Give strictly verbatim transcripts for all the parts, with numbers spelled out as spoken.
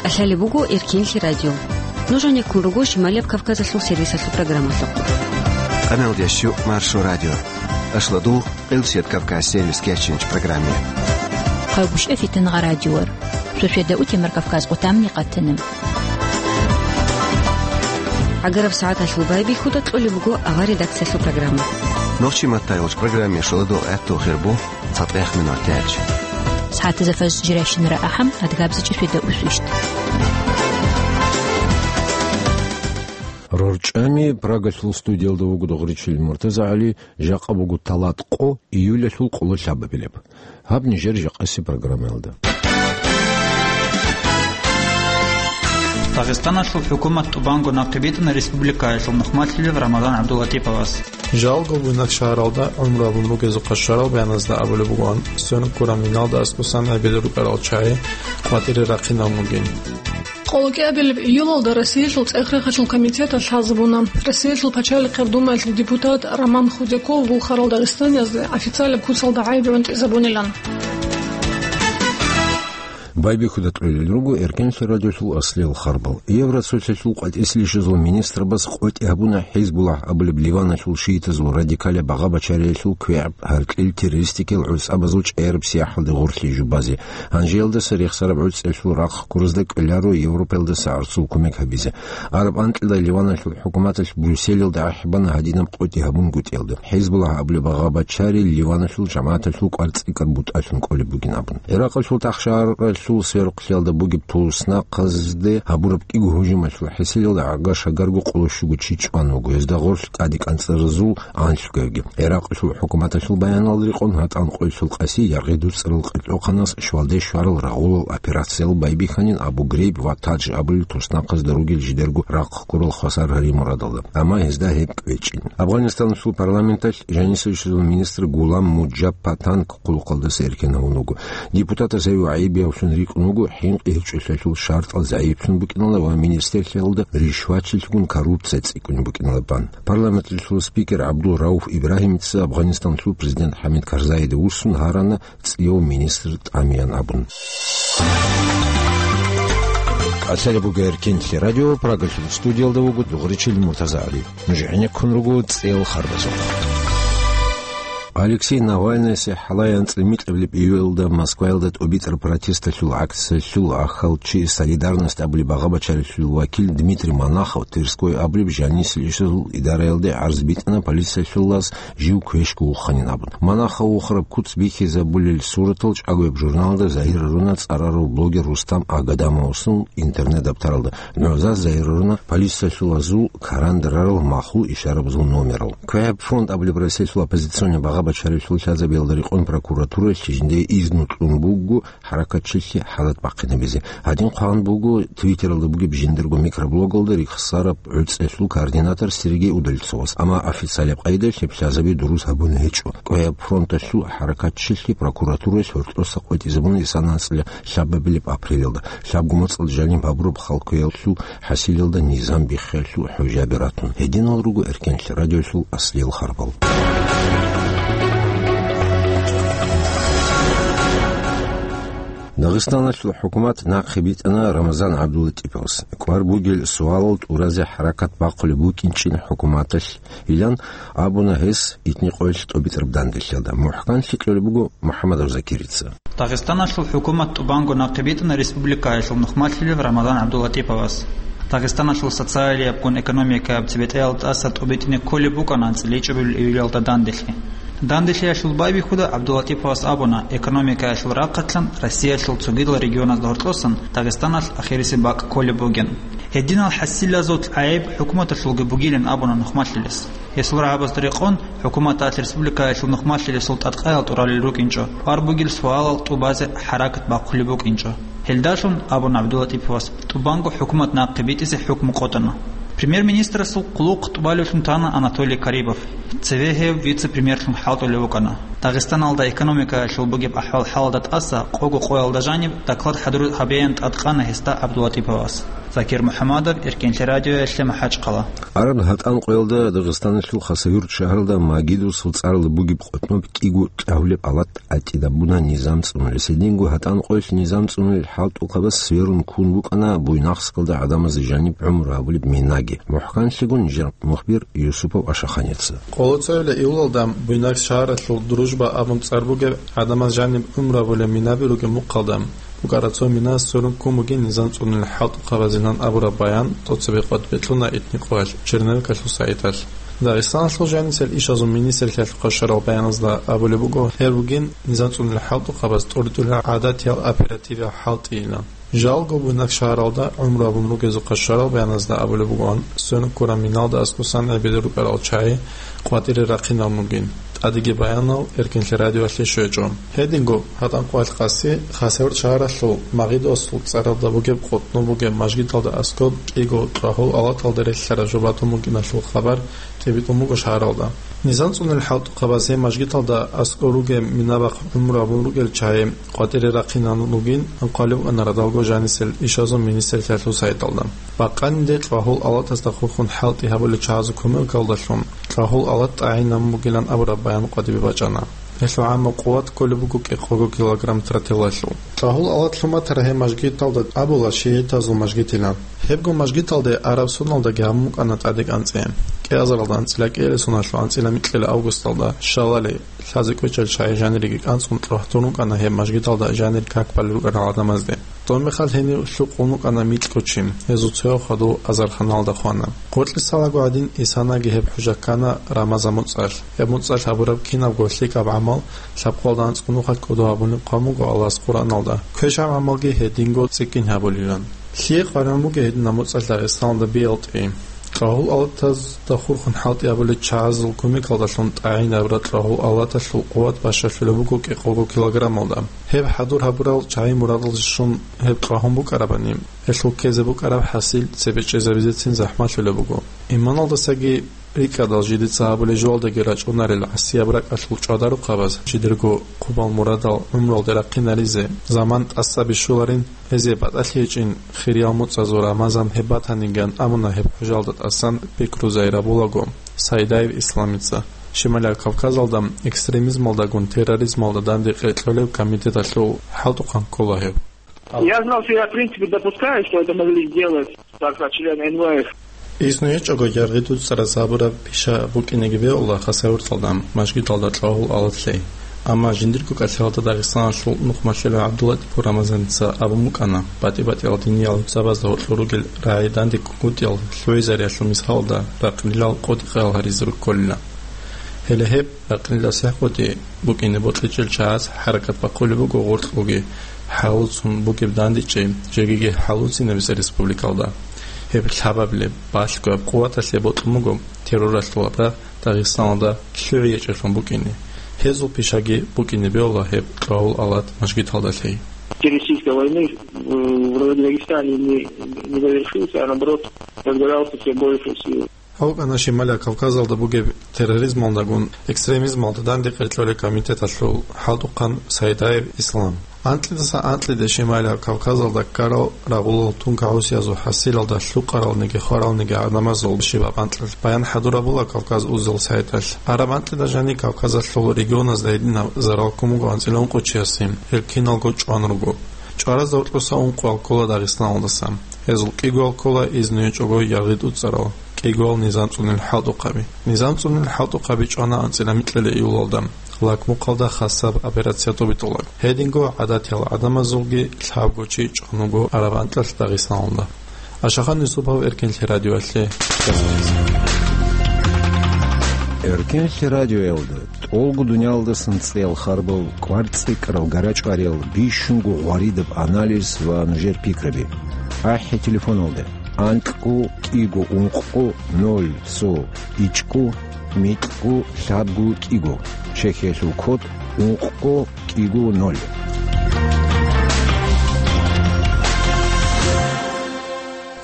Лъалеб буго Эркенлъи радио. Нуж гьанеккун руго Шималияб Кавказалъул сервисалъул программалъухъ. Къаналдеш щу Маршо радио. Ашладул, Къилсият Кавказ сервис кечинч программе. Хъавгушев Фитангъа радиор. Шошеда утемар Кавказ къутамни къатана. Агараб сагӀаталъул байбихьуда кьолеб буго авар редакциялъул программа. Нохчи маттайолч программе шоладул гӀатту хирбу. ЦатӀех минутач. СагӀатазда фаз жирайщинара ахӀам, адгабзичӀеб сведа усвищ. РорчӀами Прагалъул студиялда вуго Дугъричил МуртазагӀали, жакъа буго талат къо, июлалъул къололъабабилеб. Гьаб нижер жакъаси программаялда. Дагъистаналъул хӀукумат тӀубанго нахъе битӀана республикаялъул нухмалъилев Рамазан ГӀабдуллатиповас. Жалго буйнакшагьаралда гӀумру гьабун бугезухъа щварал баяназда абулеб бугоан, сверун ккураб миналда аскӀосан гӀебел рукӀарал чагӀи къватӀире рахъинабун бугин. Къоло кӀиабилеб июлалда Россиялъул ЦӀехрехалъул комитеталъ лъазабуна, Россиялъул Пачалихъеб Думаялъул депутат Роман Худяков вухарал дагъистаниязде официалаб куцалда гӀайиб гӀунтӀизабунилан. Байбихьуда кьолел руго Эркенлъи радиолъул аслиял харбал. Евроцолъалъул къватӀислъищазул министрабаз къотӀи гьабуна ХӀизбуллагь абулеб Ливаналъул шиитазул радикалаб багъа-бачариялъул квегӀаб гьаркьил террористикал гӀуцӀабазул чӀаяраб сияхӀалде гъорлъи жубазе. Гьанжеялдаса рехсараб гӀуцӀиялъул рахъ гурезда кӀоларо Европаялдаса гӀорцул кумек гьабизе. Араб анкьида Ливаналъул хӀукуматалъ Брюсселалда ахӀбана гьадинаб къотӀи гьабунгутӀиялда. ХӀизбуллагь абулеб багъа-бачари Ливаналъул жамагӀаталъул кӀвар цӀикӀкӀар бутӀалъун кӀолеб бугин абун. Гьеракълъул тахшаралъул сверухълъиялда бугеб туснахъазде гьабураб кӀиго гьужумалъул хӀисилалда гӀага-шагарго къоло щуго чи чӀван вуго, гьезда гъорлъ тӀаде кӀанцӀаразул анлъго. Гьеракълъул хӀукуматалъул баяналда рекъон гьатӀан къойилъул къаси яргъи дуцӀарал къилъухъанас щвалде щварал рагъулал операциял байбихьанин Абу Грейб ва Тадж абулел туснахъазда ругел жидерго рахъ ккурал хвасар гьари мурадалда. Амма гьезда гьеб кӀвечӀин. Афганистаналъул парламенталъ жанисалъул министр Гулам Муджаб Патанг хъулухъалдаса эркен гьавун вуго. Депутатас гьев гӀайибиявлъун рикӀкӀун вуго, хӀинкъи гьечӀолъиялъул шартӀал загӀиплъун букӀиналда ва министрлъиялда ришватчилъгун коррупция цӀикӀкӀун букӀиналдалъун. Парламенталъул спикер ГӀабдул Рауф Ибрагьимица Афганистаналъул президент ХӀамид Карзайида вуссун гьарана цӀияв министр тӀамиян абун. Лъалеб буго Эркенлъи радио, Прагалъул студиялда вуго Дугъричил МуртазагӀали. Нуж гӀенеккун руго цӀел харбазухъ. Алексей Навальныясе хӀалаянцӀ микьабилеб июлалда Москваялда тӀубитӀараб протесталъул акциялъул ахалчи, «Солидарность» абулеб багъа-бачаралъул вакил Дмитрий Монахов, Тверской абулеб жанисел ишазул идараялде гӀарз битӀана полициялъулас жив квешго вуханин абун. Монахов вухараб куц бихьизабулел суратал чӀагояб журналда загьир гьаруна цӀарарав блогер Рустам Агадамовасул интернет-дабтаралда. ГӀоза загьир гьаруна полициялъулазул карандарарал махул ишарабазул номерал. КвегӀаб фронт абулеб Россиялъул оппозиционный багъа-бачаралъул лъазабиялда рекъон прокуратуралъ жиндие изну кьун буго хӀаракатчилъи хӀалат бахъинабизе. Гьадин хъван буго Твиттералда бугеб жиндирго микроблогалда рихсараб гӀуцӀиялъул координатор Сергей Удальцовас, амма официалаб къайдалъ гьеб лъазаби дурус гьабун гьечӀо. КвегӀаб фронталъул хӀаракатчилъи прокуратуралъ гьоркьоса къотӀизабуна исана анцӀила лъабабилеб апрелалда. Лъабго моцӀалда жаниб гьабураб халкъиялъул хӀасилалда низам биххиялъул хӀужаби ратун. Гьединал руго Эркенлъи радиоялъул аслиял харбал. Дагъистаналъул хӀукумат нахъе битӀана Рамазан ГӀабдуллатиповас. КӀвар бугел суалал тӀуразе хӀаракат бахъулеб букӀинчӀин хӀукуматалъ, илан абуна гьес итни къоялъ тӀубитӀараб данделъиялда. МухӀканлъи кьолеб буго МухӀаммадов Закирица. Дагъистаналъул хӀукумат тӀубанго нахъе битӀана республикаялъул нухмалъилев Рамазан ГӀабдуллатиповас. Дагъистаналъул социалиябгун экономикаяб цебетӀеялда тӀаса тӀубитӀине кколеб букӀана анцӀила ичӀабилеб июлалда данделъи. Данделъиялъул байбихьуда ГӀабдуллатиповас абуна, экономикаялъул рахъалъан Россиялъул цогидал регионазда гьоркьосан Дагъистаналъ ахирисеб бакӀ кколеб бугин. Гьединал хӀасилазул гӀайиб хӀукуматалъулги бугилин абуна нухмалъилес. Гьесул рагӀабазда рекъон, хӀукуматалъ республикаялъул нухмалъилесул тӀадкъаял тӀуралел рукӀинчӀо, кӀвар бугел суалал тӀубазе хӀаракат бахъулеб букӀинчӀо. Гьелдалъун, абуна ГӀабдуллатиповас, тӀубанго хӀукумат нахъе битӀизе хӀукму къотӀана. Премьер-министрасул хъулухъ тӀубалевлъун тана Анатолий Карибов. Цеве гьев вице-премьерлъун хӀалтӀулев вукӀана. Дагъистаналда экономикаялъул бугеб ахӀвал-хӀалалда тӀаса къого къоялда жаниб доклад хӀадур гьабеян тӀадкъана гьесда ГӀабдуллатиповас. Закир МухӀамадов, Эркенлъи радиоялъе, МахӀачхъала. Араб гьатӀан къоялда Дагъистаналъул Хасавюрт шагьаралда Магидосул цӀаралда бугеб къотӀноб кӀиго кьагьулеб алат тӀатӀидабуна низам цӀунулес. Гьединго гьатӀан къоялъ низам цӀунулел хӀалтӀухъабаз сверун ккун букӀана Буйнакскалда гӀадамазда жаниб гӀумру гьабулеб минаги. МухӀканлъиго нижер мухбир Юсупов Ашаханица. Къолоцоябилеб июлалда Буйнакск шагьаралъул Дружба абун цӀар бугеб гӀадамаз жаниб гӀумру гьабулеб минаби ругеб мухъалда букӀараб цо мина сверун ккун бугин низам цӀунулел хӀалтӀухъабазилан абураб баян тӀоцебе къватӀибе кьуна Этникъоялъ Черновикалъул сайталъ. Дагъистаналъул жанисел ишазул министрлъиялъухъа щварал баяназда абулеб буго, гьеб бугин низам цӀунулел хӀалтӀухъабаз тӀуритӀулел гӀадатиял оперативиял хӀалтӀийилан. Жалго Буйнакск шагьаралда гӀумру гьабун ругезухъа щварал баяназда абулеб бугоан, сверун ккураб миналда аскӀосан гӀебеде рукӀарал чагӀи къватӀире рахъинабун бугин. ТӀадеги баянал Эркенлъи радиоялъе щвечӀо. Гьединго гьатӀан къоялъ къаси Хасавюрт шагьаралъул Магидосул цӀаралда бугеб къотӀноб бугеб мажгиталда аскӀоб кӀиго кьвагьул алаталда релълъараб жо батун букӀиналъул хабар тӀибитӀун буго шагьаралда. Низам цӀунулел хӀалтӀухъабаз гьеб мажгиталда аскӀор ругеб минабахъ гӀумру гьабун ругел чагӀи къватӀире рахъинабун бугин, анкъвалеб букӀана радалго жанисел ишазул министрлъиялъул сайталда. Бакъанилде кьвагьул алатасда хурхун хӀалтӀи гьабулел чагӀазул кумекалдалъун кьвагьул алат тӀагӀинабун бугилан абураб баян къватӀибе бачӀана. Гьелъул гӀаммаб къуват кколеб буго кӀикъого килограмм тротилалъул. Кьвагьул алат лъун батараб гьеб мажгиталда абула шигӀитазул мажгитилан. Гьебго мажгиталде араб соналдаги гьабун букӀана тӀаде кӀанцӀи. КӀиазаралда анцӀила кӀиабилеб соналъул анцӀила микьила августалда Шалали лъазе кӀвечӀел чагӀи жаниреги кӀанцӀун тӀохьдун рукӀана гьеб мажгиталда жанир как балел рукӀарал гӀадамазде. Доб мехалъ гьенив лъукъун вукӀана микьго чи, гьезул цояв хадув азарханалда хвана. Къоркье лъалаго гӀадин, Исанаги гьеб хӀужа ккана Рамазан муцӀалъ. Гьеб муцӀалъ гьабураб кинабго лъикӀаб гӀамал лъабкъоялда анцӀго нухалъ кӀодо гьабулеб хъван буго Аллагьас Къуръаналда, квешаб гӀамалги гьединго цӀикӀкӀин гьабулилан. Лъие къваригӀун бугеб гьединаб муцӀалъ Дагъистаналда биялтӀи? Кьвагьул алатазда хурхун хӀалтӀи гьабулел чагӀазул кумекалдалъун тӀагӀинабураб кьвагьул алаталъул къуват бащалъулеб буго кӀикъого килограммалда. Гьеб хӀадур гьабурал чагӀи мурадалде щун гьеб кьвагьун букӀарабани, гьелъул ккезе букӀараб хӀасил цебе чӀезабизецин захӀмалъулеб буго. Иманалдасаги рикӀкӀадал жидеца гьабулеб жоялдаги рачӀунарел гӀасияб ракӀалъул чӀвадарухъабаз жидерго хъубал мурадал гӀумруялде рахъинаризе заман тӀаса бищуларин, гьезие батӀалъи гьечӀин хириял муцӀазул Рамазан гьеб батаниган абуна гьеб хӀужалда тӀасан пикру зайрабулаго Сайдаев Исламица, Шималияб Кавказалда экстремизмалдагун терроризмалда данде къеркьолеб комитеталъул хӀалтӀухъан ккола гьев. Я знал, что я, в принципе, допускаю, что это могли сделать, так сказать, члены Н В Ф. Изну гьечӀого яргъи дуцӀараз гьабураб пиша букӀинеги бегьула Хасавюрталда, мажгиталда кьвагьул алат лъей. Амма жиндирго кӀалъалда Дагъистаналъул нухмалъулев ГӀабдуллатӀипов Рамазаница абун букӀана, батӀи-батӀиял диниял гӀурцабазда гьоркьор ругел рагӀи данде ккунгутӀиял лъугӀизариялъул мисалалда ракънилал къотӀи-къаял гьаризе рукколила. Гьеле гьеб ракънилал сихӀкъотӀи букӀине бокьичӀел чагӀаз хӀаракат бахъулеб буго гъоркьоги хӀалуцун бугеб дандечӀей жегиги хӀалуцинабизе республикалда. Гьеб лъабабилеб, балъгояб къуваталъе бокьун буго терроралъул абрагь Дагъистаналда лъугӀи гьечӀеблъун букӀине. Гьезул пишаги букӀине бегьула гьеб кьвагьул алат мажгиталда лъей. Террористической войны, э, в Дагестане не, не завершился, а наоборот, разгорался всё больше сил. Гьав вукӀана Шималияб Кавказалда бугеб терроризмалдагун экстремизмалда данде къеркьолеб комитеталъул хӀалтӀухъан Сайдаев Ислам. Анкьидаса анкьиде Шималияб Кавказалда ккарал рагъулал тункагӀусиязул хӀасилалда лъукъаралниги хваралниги гӀадамазул щибаб анкьалъ баян хӀадурабула Кавказ узел сайталъ. Араб анкьида жаниб Кавказалъул регионазда гьединаб зарал ккун буго анцӀила ункъо чиясе, гьел киналго чӀван руго. ЧӀваразда гьоркьоса ункъоял ккола Дагъистаналдаса. Гьезул кӀигоял ккола изну гьечӀого яргъи дуцӀарал, кӀигоял низам цӀунел хӀалтӀухъаби. Низам цӀунел хӀалтӀухъаби чӀвана анцӀила микьила июлалда, Лакмухъалда хасаб операция тӀубитӀулеб. Гьединго гӀадатиял гӀадамазулги лъабго чи чӀван вуго араб анкьалъ Дагъистаналда. Ашахан Юсупов, Эркенлъи радиоялъе. Эркенлъи радиоялда тӀолго дуниялдасан цӀеял харбал, кӀвар цӀикӀкӀарал, гарачӀвариял, бищунго гъваридаб анализ ва нужер пикраби. АхӀи телефоналда: анкьго кӀиго ункъго ноль цо ичӀго микьго лъабго кӀиго, Чехиялъул код ункъго кӀиго ноль.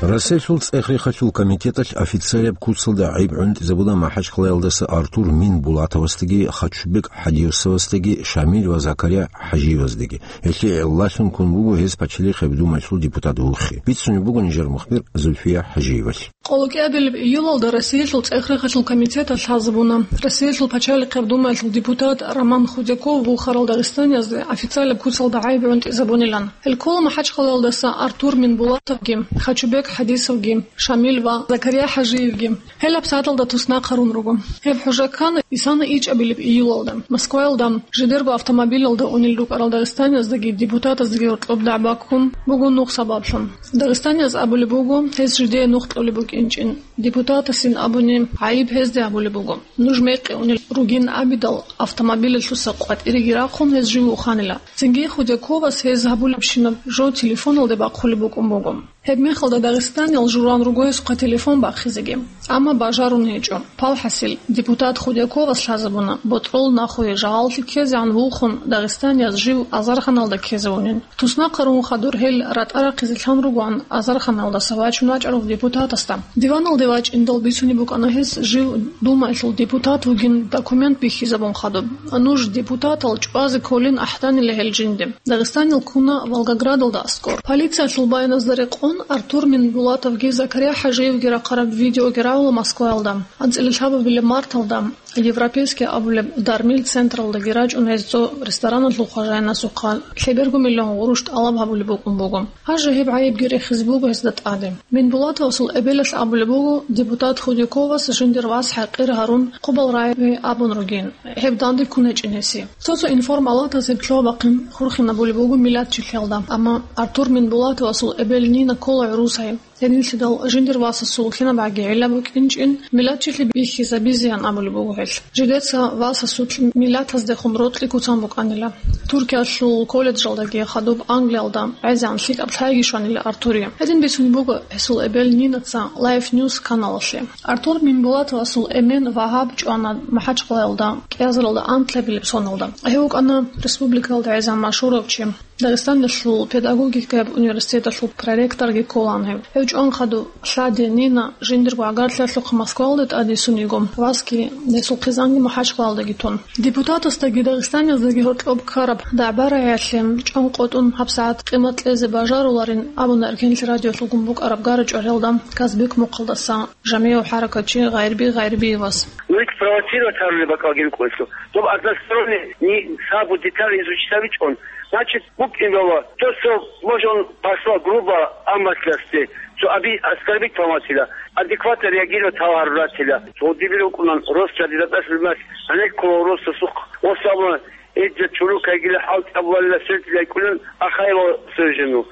Россиялъул цӀех-рехалъул комитеталъ официалаб куцалда гӀайиб гӀунтӀизабуна МахӀачхъалаялдаса Артур Минбулатовасдаги, Хачубек ХӀадиосовасдаги, Шамил ва Закария ХӀажиеваздаги. Гьелъие гӀиллалъун ккун буго гьез Пачалихъеб Думаялъул депутат вухи. Бицунеб буго нижер мухбир Зульфия ХӀажиевалъ. Къоло кӀиабилеб июлалда Россиялъул цӀех-рехалъул комитеталъ лъазабуна, Россиялъул Пачалихъеб Думаялъул депутат Роман Худяков вухарал дагъистаниязде официалаб куцалда гӀайиб гӀунтӀизабунилан. Гьел ккола МахӀачхъалаялдаса Артур Минбулатовги, Хачубек ХӀадисовги, Шамил ва Закария ХӀажиевги. Гьел гьабсагӀаталда туснахъ гьарун руго. Гьеб хӀужа ккана исана ичӀабилеб июлалда. Москваялда жидерго автомобилалда унел рукӀарал дагъистанияздаги депутатаздаги гьоркьоб дагӀба ккун буго нух сабаблъун. Дагъистанияз абулеб буго, гьез жидее нух кьолеб букӀинчӀин. Депутатасин абуни, гӀайиб гьезде абулеб буго. Нуж мекъи унел ругин абидал, автомобилалъуса къватӀиреги рахъун гьез жив вуханила. Цинги Худяковас гьез гьабулебщинаб жо телефоналде бахъулеб букӀун буго. Гьебмехалда дагъистаниял журан руго гьесухъа телефон бахъизеги, амма бажарун гьечӀо. Палхасил, депутат Худяковас лъазабуна, ботӀрол нахуе жагьаллъи ккезегӀан вухун, дагъистанияз жив азарханалда ккезавунин. Туснахъ гьарун хадур гьел ратӀа рахъизе лъан ругоан азарханалдаса вачун вачӀарав депутатасда. Диваналде вачӀиндал бицунеб букӀана гьес жив Думаялъул депутат вугин документ бихьизабун хадуб. Нуж депутатал чӀвазе кколин ахӀданила гьел жинде. Дагъистанил ккуна Волгоградалда аскӀор. Полициялъул баяназда рекъон, Артур Минбулатовги Закария ХӀажиевги рахъараб видеоги рагӀула Москваялда. АнцӀила лъабабилеб марталда Европейский абулеб дармил централдаги рачӀун гьез цо рестораналъул хважаянасухъа лъеберго миллион гъурущ тӀалаб гьабулеб букӀун буго. Гьанже гьеб гӀайибги рехизе буго гьезда тӀаде. Минбулатовасул эбелалъ абулеб буго, депутат Худяковас жиндир вас хӀакъир гьарун, хъубал рагӀи абун ругин, гьеб данде ккун гьечӀин гьесие. Цо-цо информалатаз гьеб лъугьа-бахъин хурхинабулеб буго миллатчилъиялда, амма Артур Минбулатовасул эбел Нина ккола гӀурус гьай. Гьединлъидал жиндир васасул кинабгӀаги гӀилла букӀинчӀин, миллатчилъи бихьизабизеян абулеб буго гьелъ. Жидеца васасулъ миллатаздехун рокьи куцан букӀанила. Туркиялъул колледжалдаги хадуб Англиялда гӀезегӀан лъикӀаб лъайги щванила Артурие. Гьедин бицунеб буго гьесул эбел Нинаца Life News каналалъе. Артур Минбулатовасул эмен Вагьаб чӀвана МахӀачхъалаялда кӀиазаралда анкьабилеб соналда. Гьев вукӀана республикаялда гӀезегӀан машгьурав чи. Дагъистаналъул педагогикаяб университеталъул проректорги кколаан гьев. Гьев чӀван хадуб лъади Нина жиндирго гӀагарлъиялъухъ Москвалде тӀадвиссун йиго, васги гьесул хъизанги МахӀачхъалаялдаги тун. Депутатасдаги дагъистанияздаги гьоркьоб ккараб дагӀба-рагӀиялъе чӀван къотӀун гьабсагӀат къимат кьезе бажаруларин абуна Эркенлъи радиолъулгун букӀараб гара-чӀваралда Казбек мухъалдаса жамигӀав хӀаракатчи Гъайрби Гъайрбиевас. Вы спровоцировать гьарулеб бакӀалги рукӀуна. Доб односторонне ни сабу детали изучить гьабичӀун, значит, букӀин бала, то, что, может, он послал грубо, амматлъасде, цо аби оскорбить гьаватила, адекватно реагировать гьаварулатила. Цо дибир рукӀунан, рос чади датӀас лимас, гьанеккула рос сусухъ, ос абуна, эдда чурукайгила хӀалтӀи абуалила светлый кӀулун Ахаева свою жену.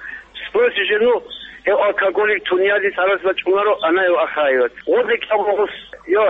Спроси жену, гьев алкоголик тунеядин цӀарас бачӀунаро, ана гьев Ахаевац. Гъорлъ кӀабургъус, йо,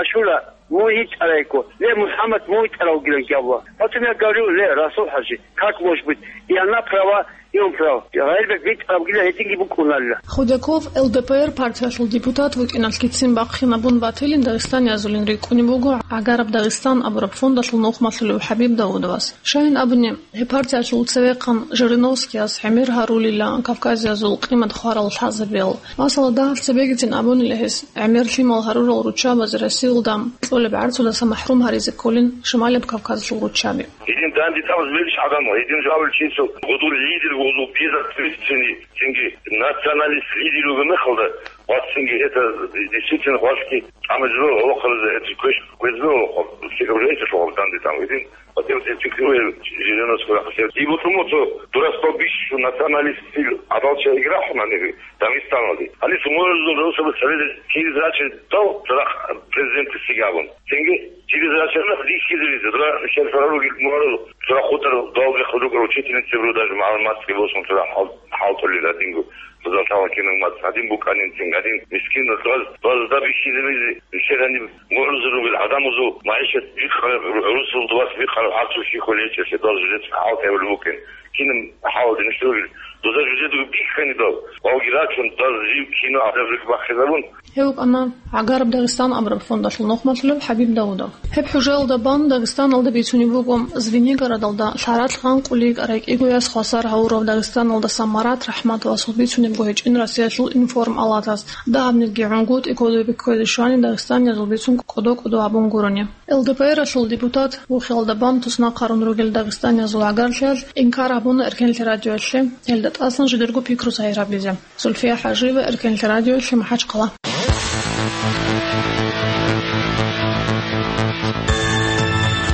Ашура, мун йитӀарайго, ле, МухӀаммад, мун йитӀарав вугилан кӀабула. Потом я говорю, ле, Расул-хӀажи, как может быть? И она права, и он прав. Гъайрбек битӀарабгила гьединги букӀунарила. Худяков Л Д П Р партиялъул депутат вукӀиналъгицин бахъинабун батилин дагъистаниязулин рикӀкӀунеб буго «ГӀагараб Дагъистан» абураб фондалъул нухмалъулев ХӀабиб Давудовас. Щайин абуни, гьеб партиялъул цевехъан Жириновскияс гӀемер гьарулила Кавказиязул къимат хварал лъазабиял. Масала, дагьаб цебегицин абунила гьес, гӀемер лъимал гьарурал руччабазе Россиялда кьолеб гӀарцудаса махӀрум гьаризе кколин Шималаб Кавказалъул руччаби. Гьедин данде тӀамаз мегиш гӀадамал, гьедин жавабил чисел гъудул лидер, гъудул безответственный, цинги националист лидер вугеб мехалда, ва цинги это действительно хвалъги тӀамазлъо гьавахъаризе, это квеш-, квезлъо гьавахъал, все уже эти лъугьал данде тӀам гьедин. Ва тев-, тев-, тев-, тев-, Жириновский рахъалъе. И бутӀрумуцо дурасбал бищун националистил гӀадал чагӀиги рахъуна гьаниб Дагъистаналде. Гьаниб сумуразул росабаз цебезе через рачи дал цадахъ президентлъиги абун. Цинги через рачи рахъ дихьизаризе, дура шерфара ругел мурарул, дура хутӀар далги хъудукъар учительницаби ру, даже мугӀалиматги босун, дура хӀал-, хӀалтӀулел гьадинго. Бузал тала кинав мацӀ гьадин букӀанин, цин гьадин мискин, даз, даз даб бихьизабизе, нилъер гьаниб мугӀрузул ругел гӀадамазул магӀишат бикъараб, гӀурусул дувас бикъараб гӀарцул щихъулел гьечӀелъе, даз жидеца хӀалтӀи гьабулеб букӀин. Кинаб хӀалалде нилъ ругел? Дуза жидедаго бихьани дал, валги рачун, даз жив кинав гӀадаб рихь бахъизабун. Гьев вукӀана «ГӀагараб Дагъистан» абураб фондалъул нухмалъулев ХӀабиб Давудов. Гьеб хӀужаялда бан Дагъистаналда бицунеб буго Звенигородалда лъаралъ гъанкъулей ракӀиго яс хвасар гьавурав Дагъистаналдаса Марат РахӀматовасул бицунеб гьечӀин Россиялъул информалатас, дагьабниги гӀунгутӀи кодобе кквезе щвани дагъистаниязул бицун кӀодо-кӀодо абун гурони. Л Д П Р-алъул депутат, вухиялда бан туснахъарун ругел дагъистаниязул гӀагарлъиялъ инкар гьабуна Эркенлъи радиоялъе, гьелда тӀасан жидерго пикру сайир гьабизе. Зульфия ХӀажиева, Эркенлъи радиоялъе, МахӀачхъала.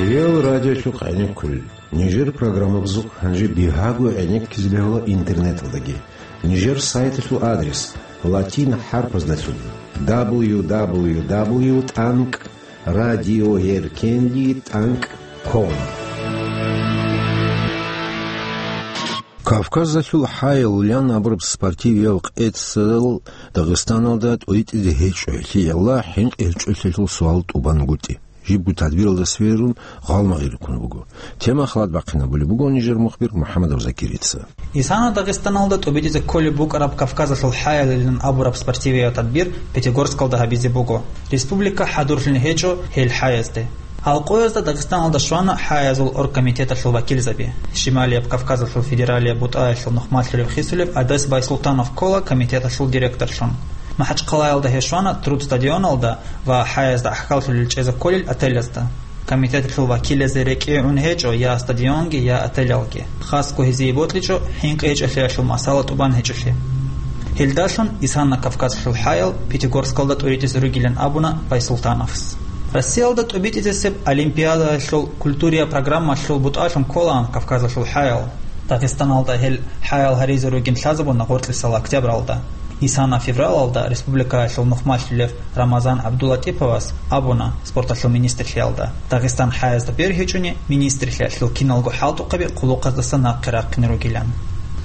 Реал радиолъухъ гӀенеккулел. Нижер программабазухъ гьанже бигьаго гӀенеккизе бегьула интернеталдаги. Нижер сайталъул адрес латин хӀарпаздалъун: дабл ю дабл ю дабл ю тӀанкӀ радиоеркенлъи тӀанкӀ ком. Кавказалъул хӀаял абураб спортивиял къецал Дагъистаналда тӀуритӀизе гьечӀо, гьелъиялда хӀинкъи гьечӀолъиялъул суал тӀубан гутӀи. Жибго тадбиралда сверун гъалмагъи рихъун буго. Тема халат бахъинабулеб буго нижер мухбир МухӀаммадов Закирица. Исана Дагъистаналда тӀубитӀизе кколеб букӀараб Кавказалъул хӀаялилан абураб спортивияв тадбир Пятигорскалда гьабизе буго. Республика хӀадурлъун гьечӀо гьел хӀаязде. Гьал къоязда Дагъистаналда щвана хӀаязул оргкомитеталъул вакилзаби. Шималияб Кавказалъул федералияб бутӀаялъул нухмалъулев-хисулев Адес Байсултанов ккола комитеталъул директорлъун. МахӀачхъалаялда гьев щвана Труд стадионалда ва хӀаязда гӀахьаллъулел чӀезе кколел отелязда. Комитеталъул вакилазе рекӀее гӀун гьечӀо я стадионги, я отелалги. Хасго гьезие бокьичӀо хӀинкъи гьечӀолъиялъул масала тӀубан гьечӀолъи. Гьелдалъун Исана Кавказалъул хӀаял Пятигорскалда тӀуритӀизе ругилан абуна Байсултановас. Россиялда тӀубитӀизесеб олимпиадаялъул культуриял программалъул бутӀалъун кколаан Кавказалъул хӀаял. Дагъистаналда гьел хӀаял гьаризе ругин лъазабуна гъоркьисал октябралда. Исана февралалда республикаялъул нухмалъулев Рамазан ГӀабдуллатӀиповас абуна спорталъул министрлъиялда, Дагъистан хӀаязда бергьичӀони, министрлъиялъул киналго хӀалтӀухъаби хъулухъаздаса нахъе рахъине ругилан.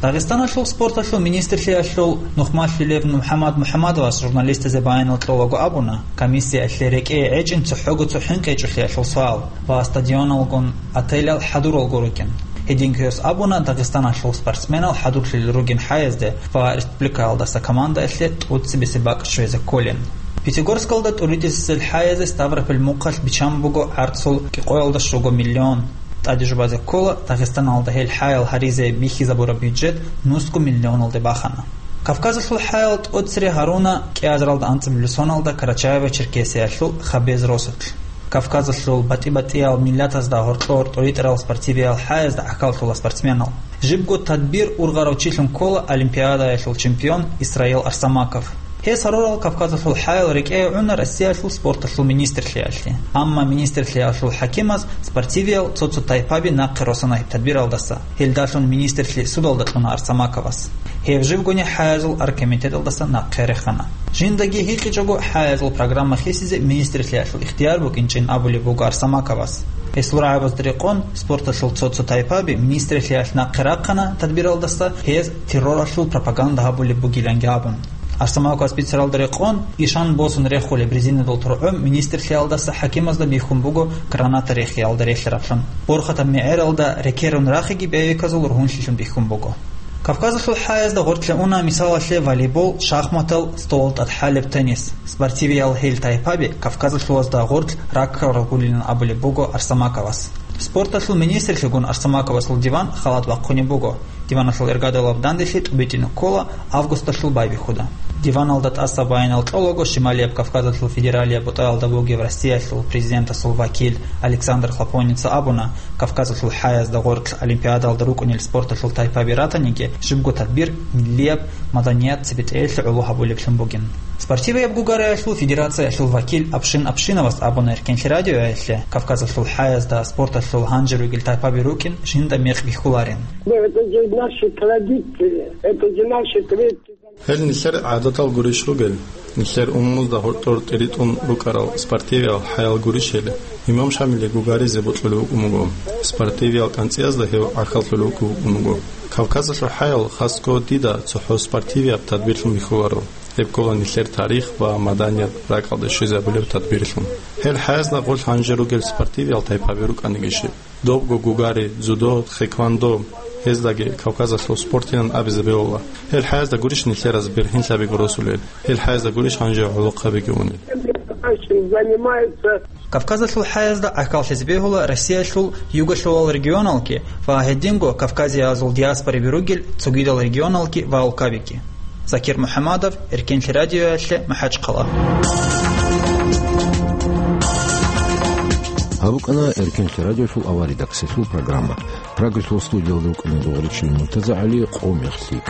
Дагъистаналъул спорталъул министрлъиялъул нухмалъулев МухӀаммад МухӀаммадовас журналистазе баянал кьолаго абуна, комиссиялъе рекӀее гӀечӀин цохӀого цо хӀинкъи гьечӀолъиялъул суал ва стадионалгун отелал хӀадуралго ругин. Гьединго гьес абуна, Дагъистаналъул спортсменал хӀадурлъулел ругин хӀаязде ва республикаялдаса командаялъе тӀоцебесеб бакӀ щвезе кколин. Пятигорскалда тӀуритӀисел хӀаязе Ставрополь мухъалъ биччан буго гӀарцул кӀикъоялда щуго миллион. ТӀаде жубазе ккола, Дагъистаналда гьел хӀаял гьаризе бихьизабураб бюджет нусго миллионалде бахана. Кавказалъул хӀаял тӀоцере гьаруна кӀиазаралда анцӀабилеб соналда Карачаево-Черкесиялъул Хабез росулъ. Кавказалъул батӀи-батӀиял миллатазда гьоркьор тӀуритӀарал спортивиял хӀаязда гӀахьаллъула спортсменал. Жибго тадбир ургъарав чилъун ккола олимпиадаялъул чемпион Исраил Арсамаков. Гьес гьарурал Кавказалъул хӀаял рекӀее гӀуна Россиялъул спорталъул министрлъиялъе. Амма министрлъиялъул хӀакимаз спортивиял цо-цо тайпаби нахъе росана гьеб тадбиралдаса. Гьелдалъун министрлъи судалда кьуна Арсамаковас. Гьев живгони хӀаязул оргкомитеталдаса нахъе рехана. Жиндаги гьикъичӀого хӀаязул программа хисизе министрлъиялъул ихтияр букӀинчӀин абулеб буго Арсамаковас. Гьесул рагӀабазда рекъон, спорталъул цо-цо тайпаби министрлъиялъ нахъе рахъана тадбиралдаса, гьез терроралъул пропаганда гьабулеб бугиланги абун. Арсамаковас бицаралда рекъон, ишан босун рехулеб резинадул тургӀун министрлъиялдаса хӀакимазда бихьун буго граната рехиялда релълъараблъун. Борхатаб мегӀералда рекерун рахиги бевиказул ругьунлъилъун бихьун буго. Кавказалъул хӀаязда гъоркье уна, мисалалъе, волейбол, шахматал, столал тӀад хӀалеб теннис. Спортивиял гьел тайпаби Кавказалъулазда гъоркь раккарал гулилан абулеб буго Арсамаковас. Спорталъул министрлъигун Арсамаковасул диван халат бахъунеб буго. Диваналъул иргадалаб данделъи тӀубитӀине ккола августалъул байбихьуда. Диваналда тӀаса баянал кьолаго Шималияб Кавказалъул федералияб бутӀаялда бугев Россиялъул президентасул вакил Александр Хлопоница абуна, Кавказалъул хӀаязда гъоркь олимпиадалда рукӀунел спорталъул тайпаби ратаниги, жибго тадбир миллияб маданият цебетӀеялъе гӀоло гьабулеблъун бугин. Спортивияб гугариялъул федерациялъул вакил Апшин Апшиновас абуна Эркенлъи радиоялъе, Кавказалъул хӀаязда спорталъул гьанже ругел тайпаби рукӀин жинда мекъ бихьуларин. Ну, это же наши традиции, это же наши предки. Гьел нилъер гӀадатал гурищ ругел, нилъер умумузда гьоркьор тӀиритӀун рукӀарал спортивиял хӀаял гурищ гьел, имам Шамилие гугаризе бокьулев вукӀун вуго, спортивиял кӀанцӀиязда гьев гӀахьаллъулев вукӀун вуго. Кавказалъул хӀаял хасго дида цохӀо спортивияб тадбирлъун бихьуларо. Гьеб ккола нилъер тарих ва маданият ракӀалде щвезабулеб тадбирлъун. Гьел хӀаязда гъорлъ гьанже ругел спортивиял тайпаби рукӀаниги щиб. Добго гугари, дзюдо, тхэквондо, гьездаги Кавказалъул спортилан абизе бегьула. Гьел хӀаязда гурищ нилъераз бергьинлъабиго росулел, гьел хӀаязда гурищ гьанже гӀолохъабиги унел. Занимается. Кавказалъул хӀаязда гӀахьаллъизе бегьула Россиялъул югалъулал регионалги ва гьединго Кавказиязул диаспораби ругел цогидал регионалги ва улкабиги. Закир МухӀаммадов, Эркенлъи радиоялъе, МахӀачхъала. Гьаб букӀана Эркенлъи радиолъул авария рекордсиялъул программа. Прагалъул студиялда вукӀана Дугъричилан МуртазагӀали, «Къо мехлъи».